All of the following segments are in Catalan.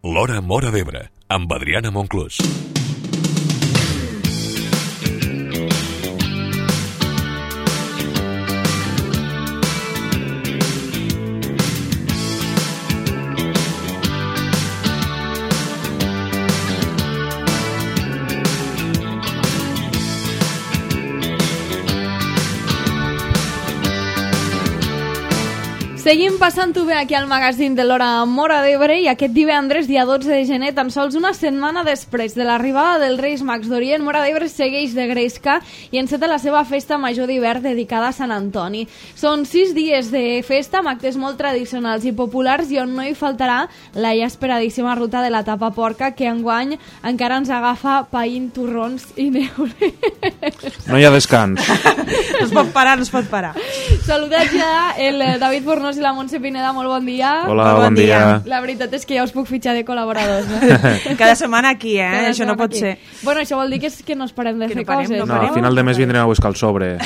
L'Hora Móra d'Ebre, amb Adriana Monclús. Seguim passant-ho bé aquí al magazín de l'Hora Móra d'Ebre i aquest divendres, dia 12 de gener, tan sols una setmana després de l'arribada dels Reis Mags d'Orient, Móra d'Ebre segueix de gresca i enceta la seva festa major d'hivern dedicada a Sant Antoni. Són 6 dies de festa amb actes molt tradicionals i populars i on no hi faltarà la ja esperadíssima ruta de la tapa porca que enguany encara ens agafa païnt torrons i neure. No hi ha descans. No es pot parar, no es pot parar. Saludats ja el David Fornós i la Montse Pineda, molt bon dia. Hola, bon dia. La veritat és que ja us puc fitxar de col·laboradors, no? Cada setmana aquí, Cada això no pot aquí. ser. Bueno, això vol dir que no es parem de fer coses. No, al final de mes vindrem a buscar el sobre.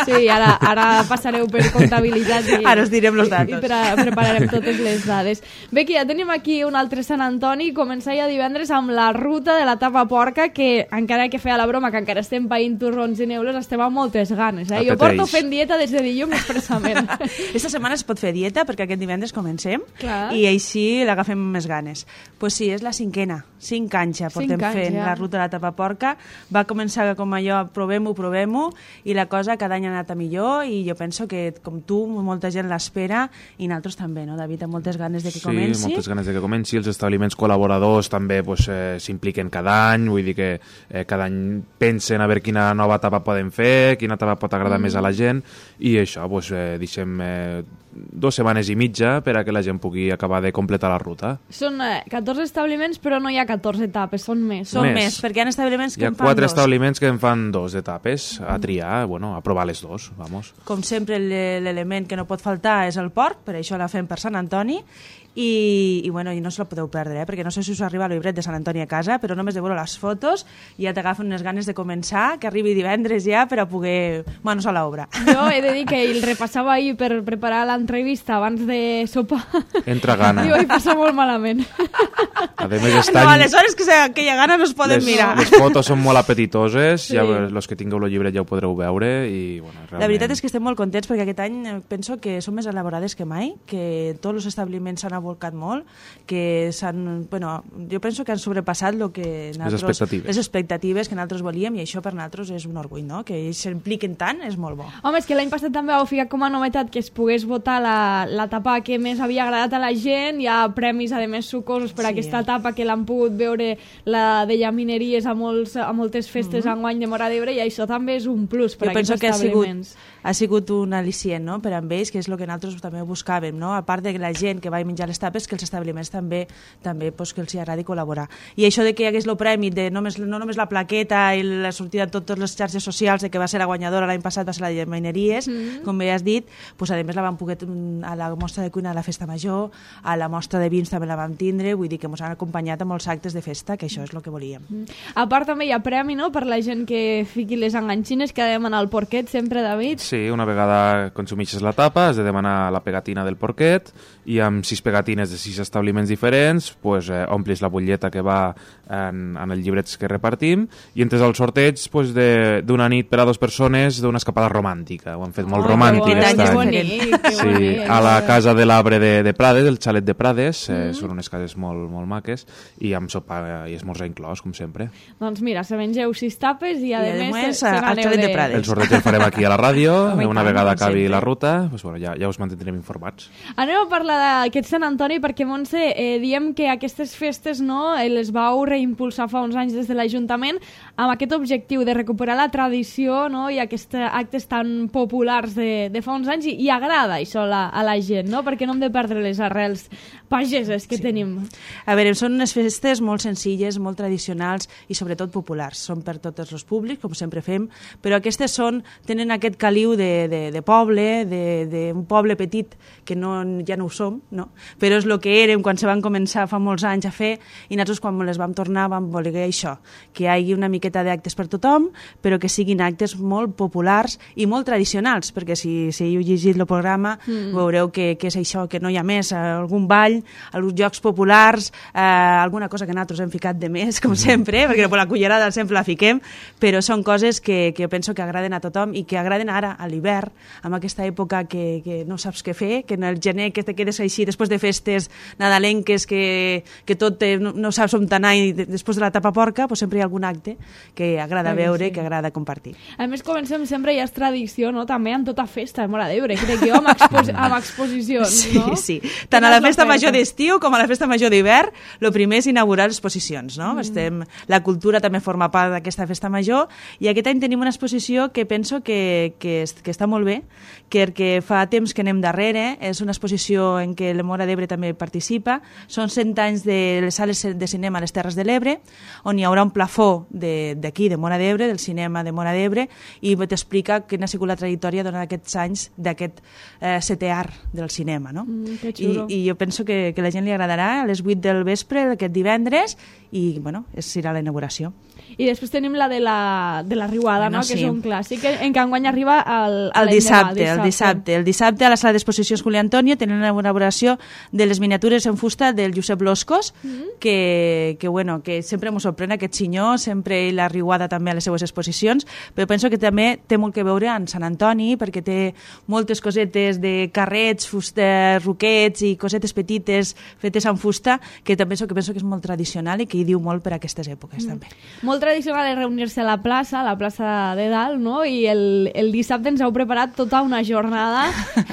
Sí, ara passareu per comptabilitat i ara us direm els datos. I prepararem totes les dades. Bé, que ja tenim aquí un altre Sant Antoni, començar ja divendres amb la ruta de la tapa porca, que encara que feia la broma, que encara estem païnt torrons i neules, estem amb moltes ganes. Jo porto fent dieta des de dilluns expressament. Esta setmana es pot fer dieta perquè aquest divendres comencem. Clar. I així l'agafem amb més ganes. Pues sí, és la 5a, 5 anys ja portem fent la ruta de la tapa porca. Va començar com allò, provem-ho, i la cosa cada any ha anat a millor i jo penso que, com tu, molta gent l'espera i nosaltres també, no, David, amb moltes ganes de que comenci. Sí, moltes ganes de que comenci. Els establiments col·laboradors també s'impliquen cada any, vull dir que cada any pensen a veure quina nova tapa poden fer, quina tapa pot agradar més a la gent, i això, deixem 2 setmanes i mitja per a que la gent pugui acabar de completar la ruta. Són 14 establiments, però no hi ha 14 etapes, són més. Són més, perquè hi ha establiments que en fan 2. Hi ha 4 establiments que en fan 2 etapes, a triar, a provar les 2, vamos. Com sempre, l'element que no pot faltar és el porc, per això la fem per Sant Antoni, i no se la podeu perdre, perquè no sé si us arriba el llibret de Sant Antoni a casa, però només de veure les fotos ja t'agafen unes ganes de començar, que arribi divendres ja per a poder manos a l'obra. Jo he de dir que el repassava ahir per preparar l'entrevista abans de sopar. Entra gana. I ho he passat molt malament. A més, no, aleshores que hi ha gana no es poden mirar. Les fotos són molt apetitoses, sí. Ja els que tingueu el llibret ja ho podreu veure i, realment... La veritat és que estem molt contents perquè aquest any penso que són més elaborades que mai, que tots els establiments s'han volcat molt, que jo penso que han sobrepassat les expectatives que nosaltres volíem, i això per nosaltres és un orgull, no? Que ells s'impliquen tant, és molt bo. Home, és que l'any passat també vau ficar com a novetat que es pogués votar la tapa que més havia agradat a la gent. Hi ha premis, a més, sucosos per aquesta tapa que l'han pogut veure la de llamineries a moltes festes enguany de Móra d'Ebre, i això també és un plus per a aquests establiments. Ha sigut un al·licient, no?, per a ells, que és el que nosaltres també buscàvem, no? A part de la gent que va menjar les tapes, que els establiments també que els agradi col·laborar. I això de que hi hagués el premi de no només la plaqueta i la sortida en totes les xarxes socials de que va ser la guanyadora l'any passat, va ser la de llamineries, com bé has dit, a més la vam poder a la mostra de cuina de la festa major, a la mostra de vins també la vam tindre, vull dir que ens han acompanyat a molts actes de festa, que això és el que volíem. A part també hi ha premi, no?, per la gent que fiqui les enganxines, que ha de demanar el porquet sempre, David. Sí, una vegada consumixes la tapa has de demanar la pegatina del porquet, i amb 6 pegatines de 6 establiments diferents omplis la butlleta que va en els llibrets que repartim, i entres al sorteig d'una nit per a 2 persones d'una escapada romàntica. Ho han fet molt romàntic aquest any. A la casa de l'Arbre de Prades, el xalet de Prades, són unes cases molt, molt maques, i amb sopar i esmorzar inclòs, com sempre. Doncs mira, se mengeu 6 tapes i a més al xalet de Prades. El sorteig el farem aquí a la ràdio, una vegada acabi la ruta, ja us mantindrem informats. Anem a parlar d'aquest Sant Antoni perquè, Montse, diem que aquestes festes les vau reimpulsar fa uns anys des de l'Ajuntament amb aquest objectiu de recuperar la tradició, no?, i aquests actes tan populars de fa uns anys, i agrada això a la gent, no?, perquè no hem de perdre les arrels pageses que tenim. A veure, són unes festes molt senzilles, molt tradicionals i sobretot populars. Són per tots els públics, com sempre fem, però aquestes tenen aquest caliu de poble, d'un poble petit, que ja no ho som, no? però és el que érem quan se van començar fa molts anys a fer, i nosaltres quan les vam tornar vam voler això, que hi hagi una miqueta d'actes per tothom, però que siguin actes molt populars i molt tradicionals, perquè si heu llegit el programa veureu que és això, que no hi ha més, algun ball, alguns jocs populars, alguna cosa que nosaltres hem ficat de més, com sempre, perquè la cullerada sempre la fiquem, però són coses que jo penso que agraden a tothom i que agraden ara, a l'hivern, en aquesta època que no saps què fer, que en el gener que te quedes així després de festes nadalenques, que tot no saps on anar i després de la tapa porca, doncs sempre hi ha algun acte que agrada veure, que agrada compartir. A més, comencem sempre, ja és tradició, no? També en tota festa de Móra d'Ebre, crec jo, amb exposicions, no? Sí. Tant a la festa major d'estiu com a la festa major d'hivern, el primer és inaugurar exposicions, no? La cultura també forma part d'aquesta festa major, i aquest any tenim una exposició que penso que està molt bé, que fa temps que anem darrere, és una exposició en què la Móra d'Ebre també participa, són 100 anys de les sales de cinema a les Terres de l'Ebre, on hi haurà un plafó d'aquí, de Móra d'Ebre, del cinema de Móra d'Ebre, i t'explica quina ha sigut la trajectòria durant aquests anys d'aquest setè art del cinema, no? Que xulo. I jo penso que la gent li agradarà a les 8 del vespre aquest divendres, i bueno, serà la inauguració. I després tenim la de la Riuada, no? Que és un clàssic, en què enguany arriba el dissabte. El dissabte a la sala d'exposicions Juli Antonio tenen una elaboració de les miniatures en fusta del Josep Loscos, que sempre m'ho sorprèn aquest senyor, sempre la Riuada també a les seues exposicions, però penso que també té molt que veure en Sant Antoni, perquè té moltes cosetes de carrets, fusta, roquets i cosetes petites fetes en fusta, que també penso que és molt tradicional i que hi diu molt per a aquestes èpoques també. Molt tradicional és reunir-se a la plaça de dalt, no? I el dissabte ens heu preparat tota una jornada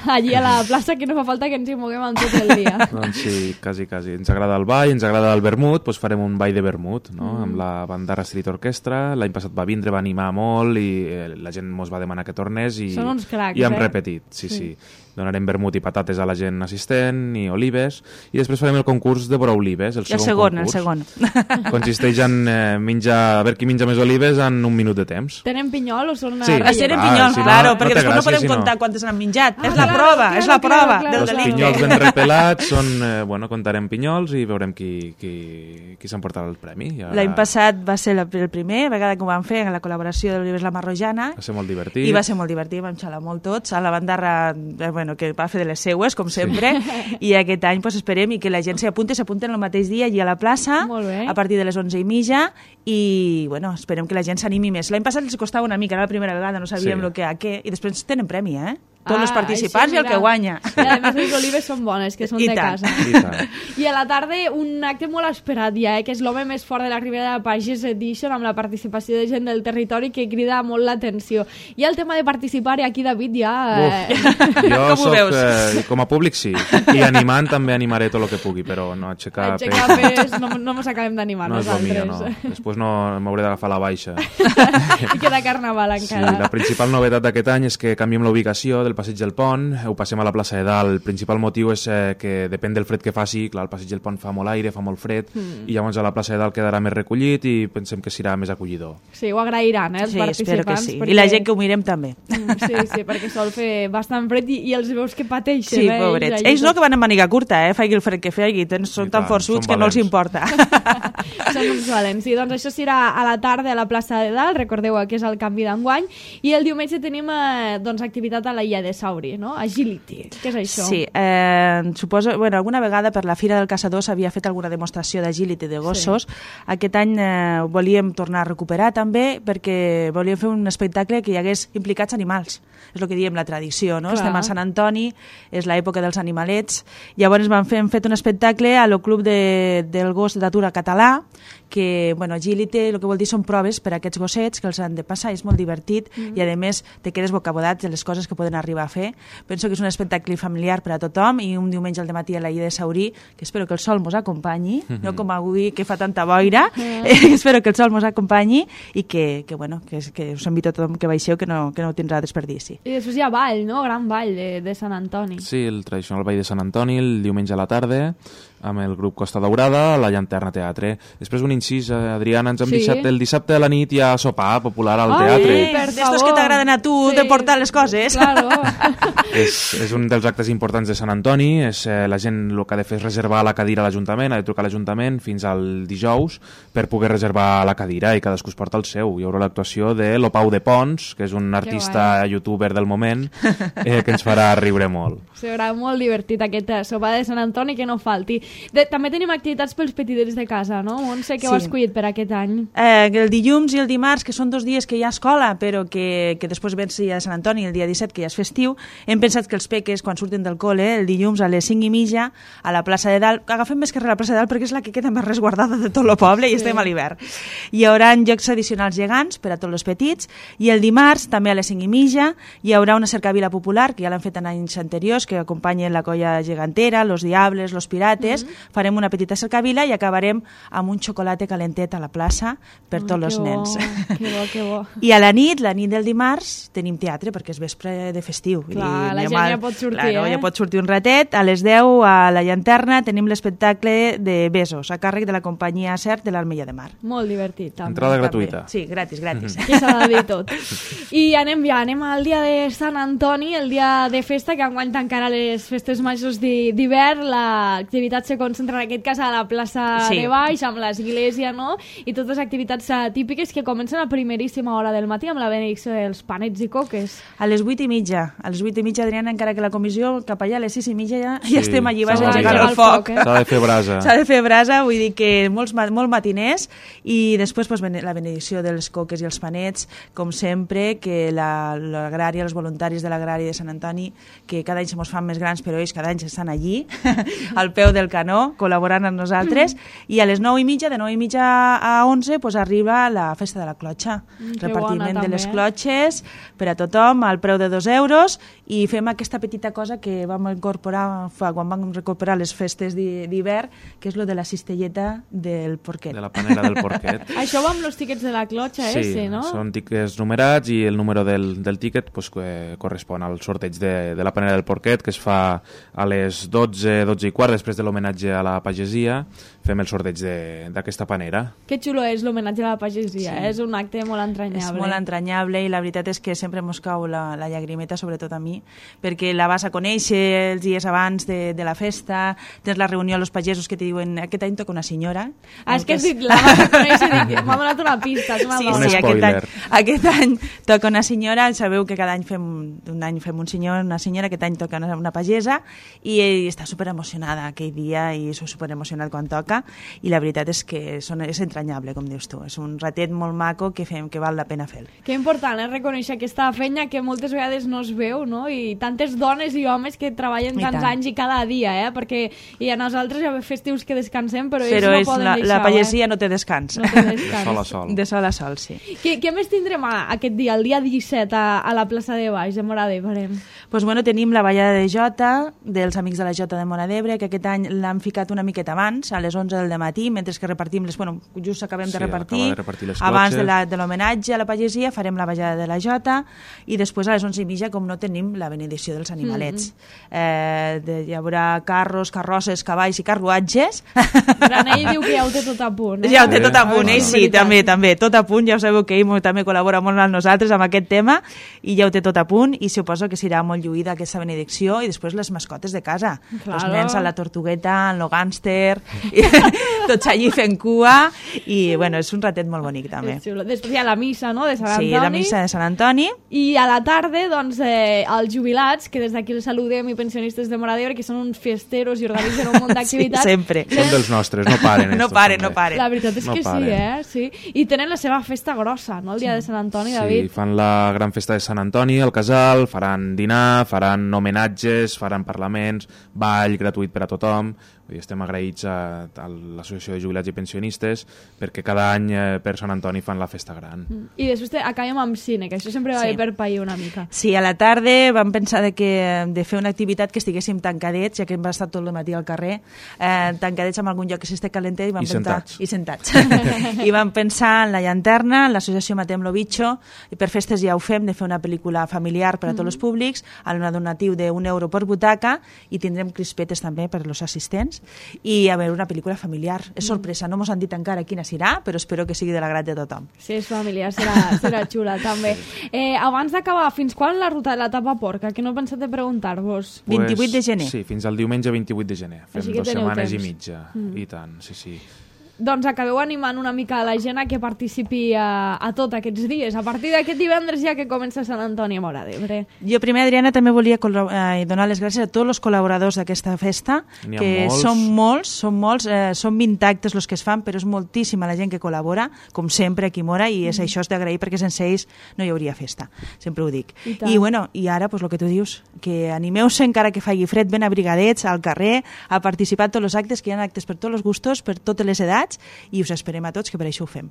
allí a la plaça, que no fa falta que ens hi moguem en tot el dia. Doncs sí, quasi. Ens agrada el ball, ens agrada el vermut, doncs farem un ball de vermut, no? Amb la Bandarra Street Orchestra. L'any passat va vindre, va animar molt i la gent mos va demanar que tornés i, són uns cracs, i hem repetit. Sí. Donarem vermut i patates a la gent assistent i olives, i després farem el concurs de vora olives, el segon. Consisteix en menjar, a veure qui menja més olives en un minut de temps. Tenen pinyol o són una... Sí, tenen pinyol, claro, perquè després no podem contar quantes han menjat. És la prova del delicte. Els pinyols ben repelats són, contarem pinyols i veurem qui s'emportarà el premi. L'any passat va ser el primer vegada que ho vam fer en la col·laboració d'Olives La Marrojana. Va ser molt divertit. I va ser molt divertit, vam xalar molt tots. A la Bandarra, que va fer de les seues, com sempre, i aquest any esperem que la gent s'apunten el mateix dia allí a la plaça, a partir de les 11:30, i esperem que la gent s'animi més. L'any passat els costava una mica, era la primera vegada, no sabíem què, i després tenen premi, tots els participants i el que guanya. I a més les olives són bones, que són de casa. I a la tarda un acte molt esperat ja, que és l'home més fort de la Ribera de Pagès Edition, amb la participació de gent del territori, que crida molt l'atenció. I el tema de participar, i aquí David ja... Jo soc, com a públic sí, i animant també animaré tot el que pugui, però no aixecar pes no mos acabem d'animar nosaltres. No és el millor, no. Després no m'hauré d'agafar la baixa. I queda carnaval encara. Sí, la principal novetat d'aquest any és que canviem la ubicació del Passeig del Pont, ho passem a la plaça de Dalt. El principal motiu és que depèn del fred que faci, clar, el Passeig del Pont fa molt aire, fa molt fred, i llavors a la plaça de Dalt quedarà més recollit i pensem que serà més acollidor. Sí, ho agrairan, els participants. Espero que sí. Perquè... I la gent que ho mirem també. Sí, perquè sol fer bastant fred i els veus que pateixen. Sí, pobrets. Ells no, que van en màniga curta, faci el fred que faci, són tan forçuts que no els importa. Són uns valents. Sí, doncs això serà a la tarda a la plaça de Dalt, recordeu que és el canvi d'enguany, i el diumenge tenim activitat a la Illa de Sauri, no? Agility. Què és això? Sí, suposo, alguna vegada per la Fira del Caçador s'havia fet alguna demostració d'agility de gossos. Sí. Aquest any volíem tornar a recuperar també, perquè volíem fer un espectacle que hi hagués implicats animals. És el que diem la tradició, no? Clar. Estem a Sant Antoni, és l'època dels animalets. Llavors hem fet un espectacle a lo Club del Gos d'Atura Català, que, agility, el que vol dir són proves per a aquests gossets que els han de passar, és molt divertit i a més te quedes bocabodat de les coses que poden arribar a fer. Penso que és un espectacle familiar per a tothom i un diumenge al dematí a la Illa de Saurí, que espero que el sol mos acompanyi, no com avui que fa tanta boira, espero que el sol mos acompanyi i que us invito a tothom que baixeu, que no tindrà desperdici. I després hi ha ball, no? Gran ball de Sant Antoni. Sí, el tradicional ball de Sant Antoni, el diumenge a la tarda. amb el grup Costa Daurada, la Llanterna Teatre. Després un incís, Adriana, ens hem Sí. deixat el dissabte a la nit hi ha sopar popular al teatre. per D'estos favor. que t'agraden a tu, Sí. de portar les coses. Claro. És un dels actes importants de Sant Antoni. La gent el que ha de fer és reservar la cadira a l'Ajuntament, ha de trucar a l'Ajuntament fins al dijous per poder reservar la cadira i cadascú es porta el seu. Hi haurà l'actuació de l'Opau de Pons, que és un artista youtuber del moment, que ens farà riure molt. Serà molt divertit aquest sopar de Sant Antoni, que no falti. També tenim activitats pels petitets de casa, no? Montse, què Sí. ho has escollit per aquest any? El dilluns i el dimarts, que són 2 dies que hi ha escola, però que després ven ja de Sant Antoni, el dia 17, que ja és festiu, hem pensat que els peques, quan surten del col·le, el dilluns a les 5:30, a la plaça de Dalt, agafem més carrer a la plaça de Dalt perquè és la que queda més resguardada de tot el poble i estem a l'hivern. Hi haurà jocs tradicionals gegants per a tots els petits, i el dimarts, també a les 5:30, hi haurà una cercavila popular, que ja l'han fet en anys anteriors, que acompanyen la colla gegantera, los diables, los pirates. Farem una petita cercavila i acabarem amb un xocolate calentet a la plaça per tots els nens. Que bo, que bo. I a la nit del dimarts, tenim teatre, perquè és vespre de festiu. Clar, la gent ja pot sortir, claro, eh? ja pot sortir un ratet. A les 10, a la Llanterna, tenim l'espectacle de Besos, a càrrec de la companyia CERT de l'Armella de Mar. Molt divertit, també. Entrada gratuïta. Sí, gratis. Aquí s'ha de dir tot. I anem al dia de Sant Antoni, el dia de festa, que enguany encara les festes majors d'hivern. L'activitat se concentra en aquest cas a la plaça Sí. de Baix, amb l'església, no? I totes activitats típiques que comencen a primeríssima hora del matí amb la benedicció dels panets i coques. A les 8:30. A les 8:30, Adriana, encara que la comissió cap allà a les 6:30 ja estem allí, vas S'ha a de engegar engegar el foc. S'ha de fer brasa. S'ha de fer brasa, vull dir que molt matiners, i després pues, la benedicció dels coques i els panets, com sempre, que l'agrària, els voluntaris de l'agrari de Sant Antoni, que cada any se mos fan més grans, però ells cada any estan allí, al peu del canó, col·laborant amb nosaltres, i a les 9:30, de 9:30 a 11, pues, arriba la festa de la clotxa. Que Repartiment bona, de les també. clotxes per a tothom, al preu de 2 euros, i fem aquesta petita cosa que vam incorporar quan vam recuperar les festes d'hivern, que és lo de la cistelleta del porquet. De la panera del porquet. Això va amb els tíquets de la clotxa, Sí, no? són tiquets numerats i el número del tíquet pues, que correspon al sorteig de la panera del porquet, que es fa a les 12:15, després de l'homenatge a la pagesia, fem el sorteig d'aquesta panera. Que xulo és l'homenatge a la pagesia, és un acte molt entranyable. És molt entranyable, i la veritat és que sempre mos cau la llagrimeta, sobretot a mi, perquè la vas a conèixer els dies abans de la festa, tens la reunió amb els pagesos que te diuen aquest any toca una senyora. És que has dit, la vas a conèixer, m'ha donat una pista, és una Sí, dona. Un sí, spoiler. aquest any toca una senyora, sabeu que cada any fem un senyor, una senyora, aquest any toca una pagesa, i ell està superemocionada aquell dia, i és superemocionat quan toca, i la veritat és que és entranyable, com dius tu, és un ratet molt maco que fem, que val la pena fer. Que important és reconèixer aquesta feina que moltes vegades no es veu, no? I tantes dones i homes que treballen I tants tant. anys i cada dia, perquè i a nosaltres hi ha festius que descansem, però ells Però no poden deixar. la pagesia no té descans. No té De descans. sol a sol. De sol a sol, sí. Què més tindrem aquest dia, el dia 17, a la plaça de Baix, de Móra d'Ebre? Pues bueno, tenim la ballada de Jota, dels Amics de la Jota de Móra d'Ebre, que aquest any l'han ficat una miqueta abans, a les 11 del matí, mentre que repartim just acabem Sí, de repartir, acaba de repartir les abans clotxes. de l'homenatge a la pagesia farem la ballada de la Jota, i després a les 11:30, com no, tenim la benedicció dels animalets. Hi haurà carros, carrosses, cavalls i carruatges. Granell diu que ja ho té tot a punt. Ja ho té tot a punt, Ah, ell és sí, veritat. també, tot a punt, ja ho sabeu que ell també col·labora molt amb nosaltres amb aquest tema, i ja ho té tot a punt, i suposo que serà molt lluïda aquesta benedicció, i després les mascotes de casa, Claro. els nens a la tortugueta, en lo gàngster, i tots allí fent cua, i bueno, és un ratet molt bonic també. És xulo. Després hi ha la missa, no?, de Sant Antoni. Sí, la missa de Sant Antoni. I a la tarda, doncs, els jubilats, que des d'aquí els saludem, i pensionistes de Móra d'Ebre, que són uns festeros i organitzen un munt d'activitats. Sí, sempre. Són dels nostres, no paren. No estos, paren, també. no paren. La veritat és No que paren. sí. I tenen la seva festa grossa, no?, el dia de Sant Antoni, Sí, David. fan la gran festa de Sant Antoni al casal, faran dinar, faran homenatges, faran parlaments, ball gratuït per a tothom. I estem agraïts a l'Associació de Jubilats i Pensionistes perquè cada any per Sant Antoni fan la festa gran. I després acabem amb cine, que això sempre va Sí. bé per pair una mica. Sí, a la tarda vam pensar de fer una activitat que estiguéssim tancadets, ja que hem estat tot el matí al carrer, tancadets en algun lloc que s'esté calentet, i vam pensar... sentats. I sentats. I vam pensar en la Llanterna, en l'associació Matem lo Bicho, i per festes ja ho fem, de fer una pel·lícula familiar per a tots els públics, a un donatiu d'1 euro per butaca, i tindrem crispetes també per als assistents. assistents, i a veure una pel·lícula familiar. És sorpresa, no mos han dit encara quina serà, però espero que sigui de l'agrat de tothom. Si és familiar, serà xula, també. Abans d'acabar, fins quan la ruta de la tapa porca? Que no he pensat de preguntar-vos. 28 de gener. Sí, fins al diumenge 28 de gener. Fem 2 setmanes temps. i mitja. I tant, sí. Doncs acabeu animant una mica a la gent a que participi a tots aquests dies. A partir d'aquest divendres ja que comença Sant Antoni a Móra d'Ebre. Jo primer, Adriana, també volia donar les gràcies a tots els col·laboradors d'aquesta festa, que són molts, són 20 actes els que es fan, però és moltíssima la gent que col·labora, com sempre aquí a Móra, i això és d'agrair perquè sense ells no hi hauria festa, sempre ho dic. I ara, pues, el que tu dius, que animeu-se encara que faci fred, ben abrigadets al carrer, a participar en tots els actes, que hi ha actes per tots els gustos, per totes les edats, i us esperem a tots, que per això ho fem.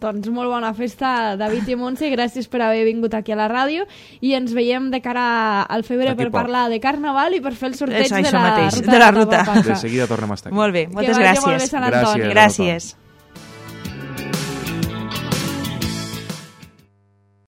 Doncs molt bona festa, David i Montse, gràcies per haver vingut aquí a la ràdio, i ens veiem de cara al febrer per parlar de Carnaval i per fer el sorteig de la ruta. De seguida tornem a estar aquí. Molt bé, moltes gràcies. Que vagi molt bé Sant Antoni. Gràcies.